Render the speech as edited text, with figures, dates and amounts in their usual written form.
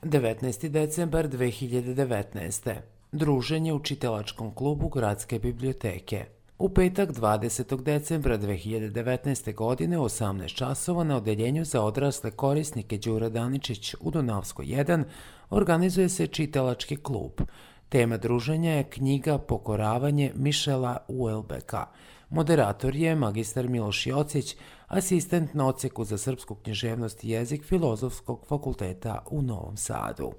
19. decembar 2019. Druženje u čitalačkom klubu Gradske biblioteke. U petak 20. decembra 2019. godine u 18 časova na odeljenju za odrasle korisnike Đura Daničić u Dunavskoj 1 organizuje se čitalački klub. Tema druženja je knjiga Pokoravanje Mišela Uelbeka. Moderator je magistar Miloš Jocić, asistent na odseku za srpsku književnost i jezik Filozofskog fakulteta u Novom Sadu.